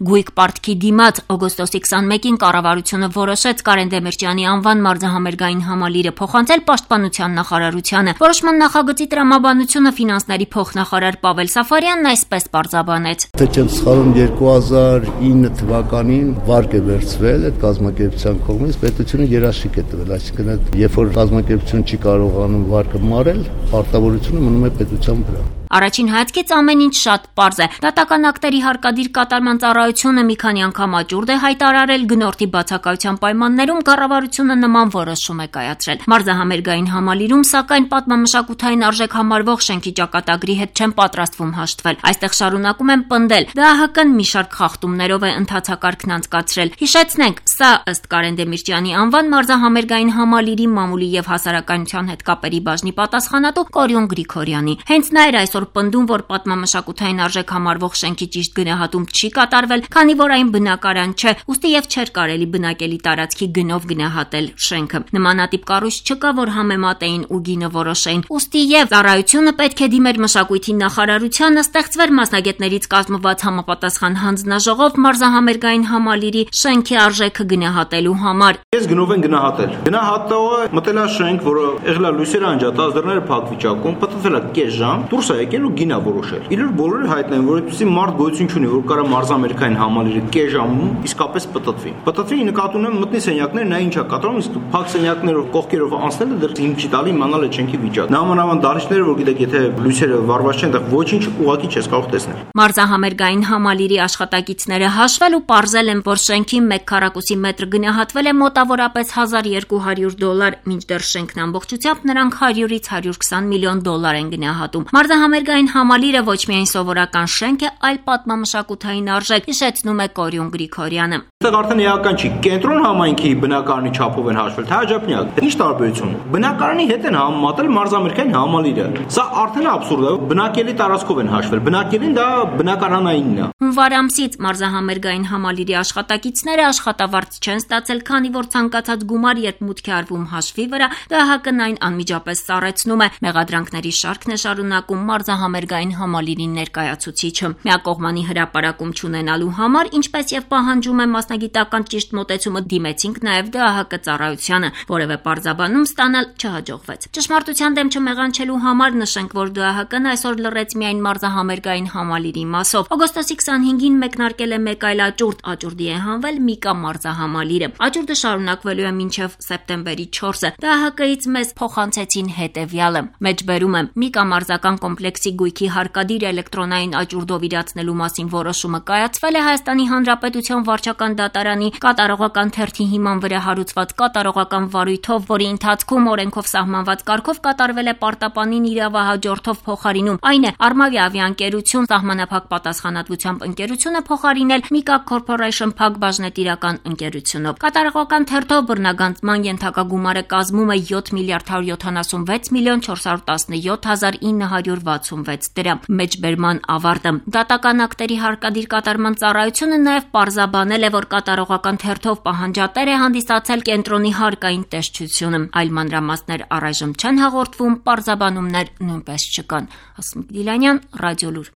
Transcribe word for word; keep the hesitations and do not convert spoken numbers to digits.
Գույք պարտքի դիմաց օգոստոսի քսանմեկին կառավարությունը որոշեց Կարեն Դեմիրճյանի անվան մարզահամերգային համալիրը փոխանցել Պաշտպանության նախարարությանը։ Որոշման նախագծի տրամաբանությունը ֆինանսների փոխնախարար Պավել Սաֆարյանն այսպես պարզաբանեց. Թե չեմ սխալվում, երկու հազար ինը թվականին վարկ է վերցվել այդ կազմակերպության կողմից, պետությունը երաշխիք է տվել, այսինքն այդ երբ որ կազմակերպությունը չի կարողանում վարկը մարել, պարտավորությունը մնում է պետության վրա։ Առաջին հայացքից ամեն ինչ շատ պարզ է։ Դատական ակտերի հարկադիր կատարման ծառայությունը մի քանի անգամ աճուրդ է հայտարարել, գնորդի բացակայության պայմաններում կառավարությունը նման որոշում է կայացրել։ Մարզահամերգային համալիրում, սակայն, պատմամշակութային արժեք համարվող շենքի ճակատագրի հետ չեն պատրաստվում հաշտվել։ Այստեղ շարունակում են պնդել, ԴԱՀԿ-ն մի շարք խախտումներով է ընթացակարգն անցկացրել։ Հիշեցնենք, սա ըստ Կարեն Դեմիրճյանի անվան մարզահամերգային համալիրի մամուլի եւ հասարակայնության հետ կապերի բաժնի պատասխանատու Կորյուն Գրիգորյանի։ Հենց նա էր այսօր պնդում, որ պատմամշակութային արժեք համարվող շենքի ճիշտ գնահատում չի կատարվել, քանի որ այն բնակարան չէ, ուստի եւ չէր կարելի բնակելի տարածքի գնով գնահատել շենքը։ Նմանատիպ կառույց չկա, որ համեմատեին ու գինը որոշեին։ Ուստի եւ ծառայությունը պետք է դիմեր մշակույթի նախարարությանը, ստեղծվեր մասնագետներից կազմված համապատասխան հանձնաժողով մարզահամերգային համալիրի շենքի արժեքը գնահատելու համար։ Ես գնով են գնահատել։ Գնահատողը մտել է շենք, որը եղել է լույսերը անջատած, դռները փակ վիճակում, պատտվել է կես ժամ, դուրս է եկել ու գինա որոշել։ Իրար բոլորը հայտնեն, որ այդպեսի մարդ գոյություն չունի, որ կարա մարզամերգային համալիրը կես ժամում իսկապես պատտվի։ Պատտվի նկատի ունեմ մտնի սենյակներ, նա ինչ է կատարում, իսկ փակ սենյակներով կողքերով անցնելը դեռ ինձ չի տալի իմանալ այդ շենքի վիճակը։ Նամանավան դահլիճները, որ գիտեք, եթե լույսերը վառված չեն, այդտեղ ոչինչ ուղղակի չես կարող տեսնել։ Մարզահամերգային համալիրի աշխատակիցները հաշվել ու պարզել են, որ շենքի մեկ քառակուսի մետր գնահատվել է մոտավորապես հազար երկու հարյուր դոլար, մինչդեռ շենքն ամբողջությամբ նրանք հարյուրից հարյուր քսան միլիոն դոլար են գնահատում։ Մարզահամերգային համալիրը ոչ միայն սովորական շենք է, այլ պատմամշակութային արժեք, հիշեցնում է Կորյուն Գրիգորյանը։ Այստեղ արդեն էական չի, կենտրոն համայնքի բնակարանի չափով են հաշվել, թե հաջափնյակ։ Ինչ տարբերություն։ Բնակարանի հետ են համեմատել մարզահամերգային համալիրը։ Սա արդեն աբսուրդ է, բնակելի տարածքով են հաշվել։ Բնակելին դա բնակարանայինն է։ Հունվար ամսից մարզահամերգային համալիրի աշխատակիցները աշխատավարձ չեն ստացել, քանի որ ցանկացած գումար, երբ մուտք է արվում հաշվի վրա, ԴԱՀԿ-ն այն անմիջապես սառեցնում է։ Մեղադրանքների շարքն է շարունակում մարզահամերգային համալիրի ներկայացուցիչը։ Միակողմանի հրապարակում չունենալու համար, ինչպես եւ պահանջում է մասնագիտական ճիշտ մոտեցումը, դիմեցինք նաեւ ԴԱՀԿ ծառայությանը, որևէ պարզաբանում ստանալ չհաջողվեց։ Ճշմարտության դեմ չմեղանչելու համար նշենք, որ ԴԱՀԿ-ն այսօր լռեց միայն մարզահամերգային համալիրի մասով։ Օգոստոսի քսանհինգին մեկնարկել է մեկ այլ աճուրդ, աճուրդի է հանվել Միկա մարզահամալիրը։ Աճուրդը շարունակվելու է մինչև սեպտեմբերի չորսը։ ԴԱՀԿ-ից մեզ փոխանցեցին հետեւյալը։ Մեջբերում եմ Միկա մարզական կոմպլեքսի գույքի հարկադիր էլեկտրոնային աճուրդով իրացնելու մասին որոշումը կայացվել է Հայաստանի Հանրապետության վարչական դատարանի կատարողական թերթի հիման վրա հարուցված կատարողական վարույթով, որի ընթացքում օրենքով սահմանված կարգով կատարվել է պարտապանին իրավահաջորդով փոխարինում։ Այն է Արմավի ավիաընկերություն սահմանափակ պատասխանատվությամբ ընկերությունը փոխարինել Միկա Corporation փակ բաժնետիրական ընկերությունով։ Կատարողական թերթով բռնագանձման ենթակագումարը կազմում է յոթ միլիարդ հարյուր յոթանասունվեց միլիոն չորս հարյուր տասնյոթ հազար ինը հարյուր վաթսունվեց դրամ։ Մեջբերման ավարտը։ Դատական ակտերի հարկադիր կատարման ծառայությունը նաև պարզաբանել է, որ կատարողական թերթով պահանջատեր է հանդիսացել կենտրոնի հարկային տեսչությունը։ Այլ մանրամասներ առայժմ չեն հաղորդվում, պարզաբանումներ նույնպես չկան։ Հասմիկ Դիլանյան, Ռադիոլուր։